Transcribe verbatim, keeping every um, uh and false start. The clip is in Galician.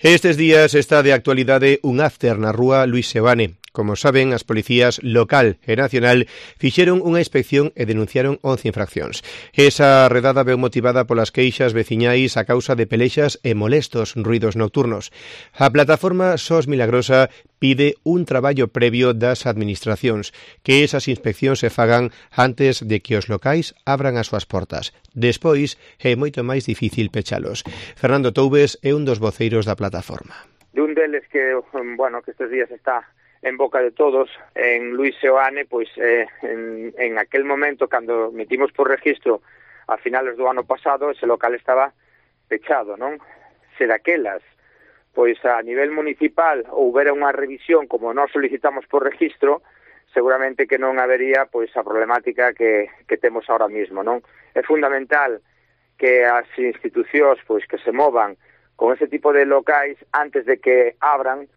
Estes días está de actualidade un after na rúa Luís Seoane. Como saben, as policías local e nacional fixeron unha inspección e denunciaron once infraccións. Esa redada veu motivada polas queixas veciñais a causa de pelexas e molestos ruidos nocturnos. A plataforma SOS Milagrosa pide un traballo previo das administracións, que esas inspeccións se fagan antes de que os locais abran as súas portas. Despois, é moito máis difícil pechalos. Fernando Toubes é un dos voceiros da plataforma. De un deles que, bueno, que estes días está en boca de todos, en Luís Seoane, pois eh, en, en aquel momento, cando metimos por registro a finales do ano pasado, ese local estaba pechado, non? Se daquelas, pois a nivel municipal houbera unha revisión como nós solicitamos por registro, seguramente que non habería pois a problemática que, que temos ahora mismo, non? É fundamental que as institucións pois que se movan con ese tipo de locais antes de que abran,